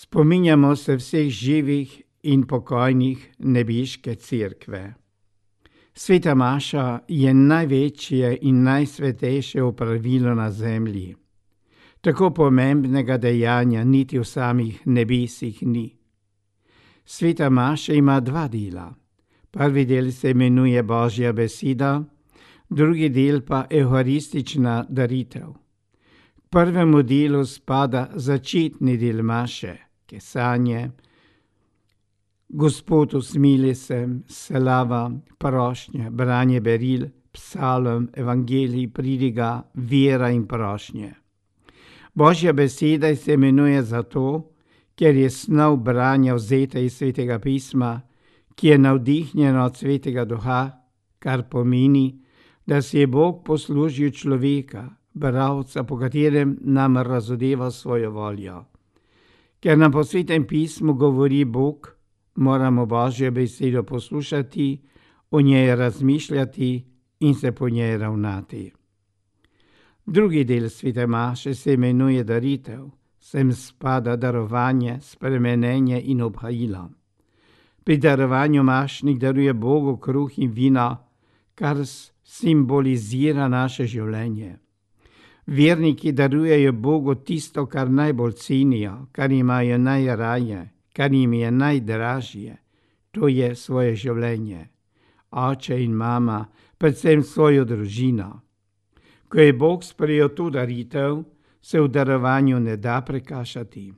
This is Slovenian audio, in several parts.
Spominjamo se vseh živih in pokojnih nebeške cerkve. Sveta maša je največje in najsvetejše opravilo na zemlji. Tako pomembnega dejanja niti v samih nebesih ni. Sveta maša ima dva dela. Prvi del se imenuje Božja beseda, drugi del pa evharistična daritev. K prvemu delu spada začetni del maše, kesanje, Gospod usmili se, slava, prošnja, branje beril, psalm, evangelij, pridiga, vera in prošnje. Božja beseda se imenuje zato, ker je snov branja vzeta iz Svetega pisma, ki je navdihnjeno od Svetega duha, kar pomeni, da si je Bog poslužil človeka, bralca, po katerem nam razodeva svojo voljo. Ker nam po Svetem pismu govori Bog, moramo Božjo besedo poslušati, o njej razmišljati in se po njej ravnati. Drugi del svete maše se imenuje daritev, sem spada darovanje, spremenjenje in obhajilo. Pri darovanju mašnik daruje Bogu kruh in vino, kar simbolizira naše življenje. Verniki darujejo Bogu tisto, kar najbolj cenijo, kar imajo najraje, kar jim je najdražje, to je svoje življenje, oče in mama, predvsem svojo družino. Ko je Bog sprejel to daritev, se v darovanju ne da prekašati.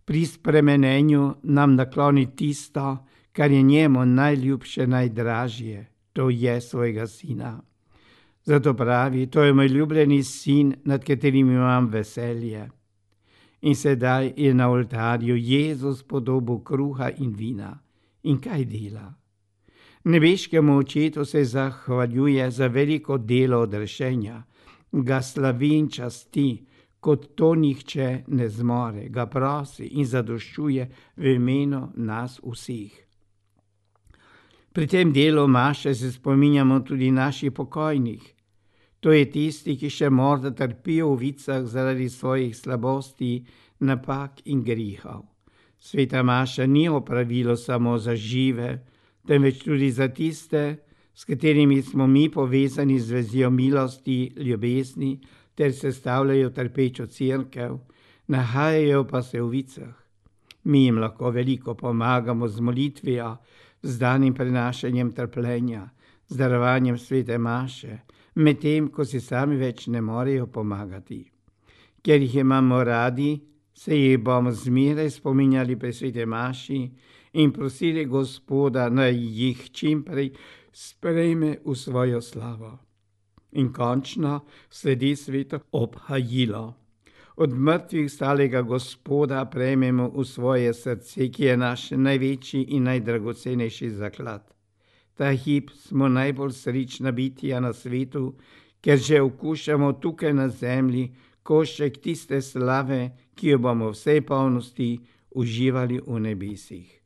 Pri spremenjenju nam nakloni tisto, kar je njemu najljubše, najdražje, to je svojega sina. Zato pravi, to je moj ljubljeni sin, nad katerim imam veselje. In sedaj je na oltarju Jezus podobo kruha in vina. In kaj dela? Nebeškemu očetu se zahvaljuje za veliko delo odrešenja, ga slavi in časti, kot to nihče ne zmore, ga prosi in zadoščuje v imenu nas vseh. Pri tem delu maše se spominjamo tudi naših pokojnih. To je tisti, ki še morda trpijo v vicah zaradi svojih slabosti, napak in grehov. Sveta maša ni opravilo samo za žive, temveč tudi za tiste, s katerimi smo mi povezani z vezijo milosti, ljubezni, ter sestavljajo trpečo cerkev, nahajajo pa se v vicah. Mi jim lahko veliko pomagamo z molitvijo, z danim prenašanjem trpljenja, z darovanjem svete maše, medtem ko si sami več ne morejo pomagati. Ker jih imamo radi, se jih bomo zmeraj spominjali pri svete maši in prosili Gospoda, naj jih čimprej sprejme v svojo slavo. In končno sledi sveto obhajilo. Od mrtvih stalega Gospoda prejmemo v svoje srce, ki je naš največji in najdragocenejši zaklad. Ta hip smo najbolj srečna bitja na svetu, ker že okušamo tukaj na zemlji košček tiste slave, ki jo bomo v vsej polnosti uživali v nebesih.